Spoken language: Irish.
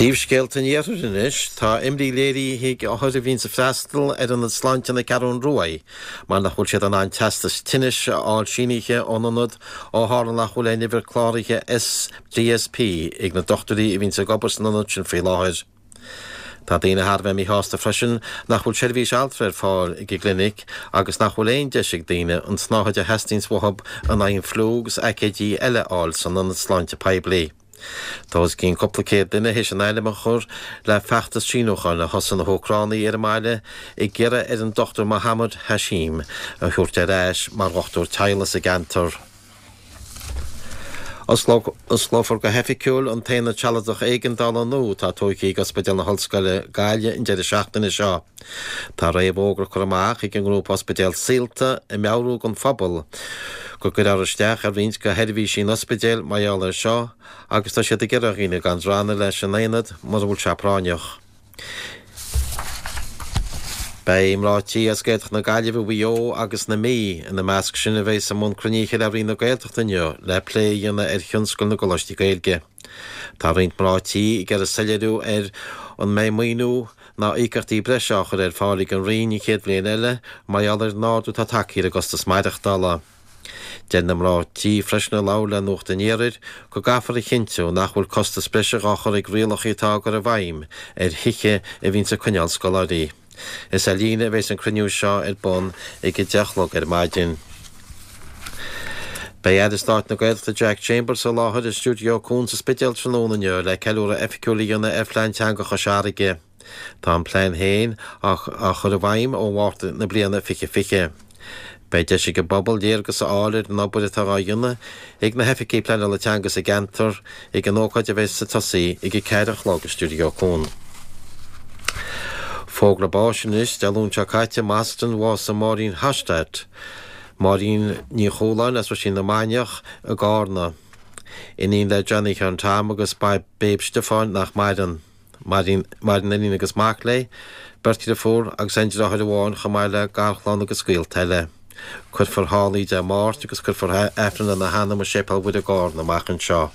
Príomhscéalta an Iarthair anois. Tá imní léirithe ag othair a bhíonns ag freastal ar Ionad Sláinte na Ceathrún Ruaidh mar nach bhfuil siad in ann teastas tinnis a fháil sínithe ón ionad ó tharla nach bhfuil aon uimhir cláraithe SDSP ag na dochtúirí a bhíonns ag obair san ionad sin faoi láthair. Tá daoine thar a bheith míshásta freisin nach bhfuil seirbhís altra ar fáil ag an gclinic agus nach bhfuil aon deis ag daoine an tsnáthaid a theastaíonns uathu in aghaidh an fliú agus aicéidí eile a fháil san ionad sláinte poiblí. Tá os cionn cúpla céad duine théis a n-ainm a chur le feachtas síniúcháin a thosaigh na hÚcránaigh ar an mbaile ag iarraidh ar an Dr Mohammed Hashim a thabhairt ar ais mar dhochtúir teaghlaigh sa gceantar. Osclófar go hoifigiúil an t-aonad sealadach éigeandála nua atá tógtha ag Ospidéal na hOllscoile Gaillimh an deireadh seachtaine seo. Tá réamhfhógra curtha amach ag an ngrúpa Ospidéal Saolta ag meabhrú don phobal go gcuirfear isteach ar roinnt de sheirbhísí an ospidéil mar gheall air seo agus tá siad ag iarraidh ar dhaoine gan drannadh leis an aonad mura bhfuil sé práinneach. Beidh mná tí as Gaeltacht na Gaillimhe, Mhaigh Eo agus na Mí ina measc sin a bheas i mbun cruinnithe le Roinn na Gaeltachta inniu le plé a dhéanamh ar thionscal na gColáistí Gaeilge. Tá roinnt mná tí ag iarraidh soiléiriú ar an mbeidh maoiniú ná íocaíochtaí breise á chur ar fáil ag an Roinn an chéad bhliain eile mar gheall ar an ardú atá tagtha ar an gcostas maireachtála. Deir na mná tí freisin a labhair le Nuacht an Iarthair go gcaithfear a chinntiú nach bhfuil costas breise á chur ag rialacha atá á gcur i bhfeidhm ar thithe a bhíonns ag coinneáil scoláirí. Is ar líne a bheas an cruinniú seo ar bun ag 10 a chlog ar maidin. Beidh Aire Stáit na Gaeltachta Jack Chambers i láthair i Stiúideo Cuan sa Spidéal tráthnóna inniu le ceiliúradh oifigiúil a dhéanamh ar Phlean Teanga Chois Fharraige. Tá an plean féin á chur i bhfeidhm ó Mhárta na bliana 2020. Beidh deis ag an bpobal léargas a fháil ar an obair atá á dhéanamh ag na hoifigigh pleanála teanga sa gceantar ag an ócáid a bheas ag tosaí ag 4 a chlog i Stiúideo Cuan. Fógra báis anois, Dé Luain seo caite i mBoston bhásaigh Máirín Hostert, Máirín Ní Chualáin as Ruisín na Mainiach i gCarna. Iníon le Johnny Sheáin Tom agus Babe Stiofáin nach maireann. Maireann iníon agus mac léi, beirt dhriofúr agus aon deartháir amháin chomh maith le garchlann agus gaolta eile. Cuirfear thall í Dé Máirt agus cuirfear Aifreann lena hanam i Séipéal Mhuire i gCarna amach anseo.